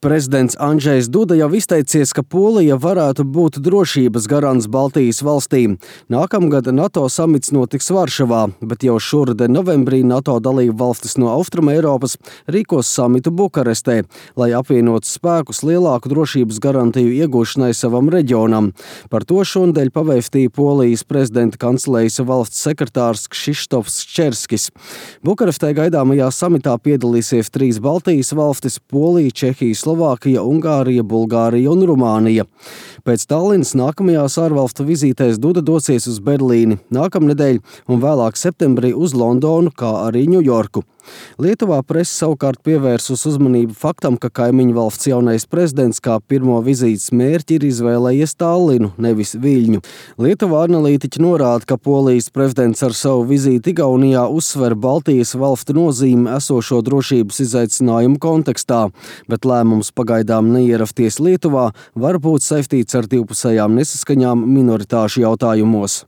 Prezidents Andžejs Duda jau izteicies, ka Polija varētu būt drošības garants Baltijas valstīm. Nākamgad NATO samits notiks Varšavā, bet jau šoruden novembrī NATO dalību valstis no Austrumeiropas rīkos samitu Bukarestē, lai apvienotu spēkus lielāku drošības garantiju iegūšanai savam reģionam. Par to šonadēļ pavēstīja Polijas prezidenta kancelējas valsts sekretārs Kšištofs Čerskis. Bukarestē gaidāmajā samitā piedalīsies 3 Baltijas valstis – Polija, Čehija, Slovākija, Ungārija, Bulgārija un Rumānija. Pēc Tallinas nākamajās ārvalstu vizītēs Duda dosies uz Berlīni nākamnedēļ un vēlāk septembrī uz Londonu, kā arī Ņujorku. Lietuvā prese savukārt pievērsus uzmanību faktam, ka kaimiņu valsts jaunais prezidents kā pirmo vizītes mērķi ir izvēlējies Tallinu, nevis Viļņu. Lietuvā analītiķi norāda, ka Polijas prezidents ar savu vizīti Igaunijā uzsver Baltijas valstu nozīmi esošo drošības izaicinājumu kontekstā, bet lēmums pagaidām neierasties Lietuvā var būt saistīts ar divpusējām nesaskaņām minoritāšu jautājumos.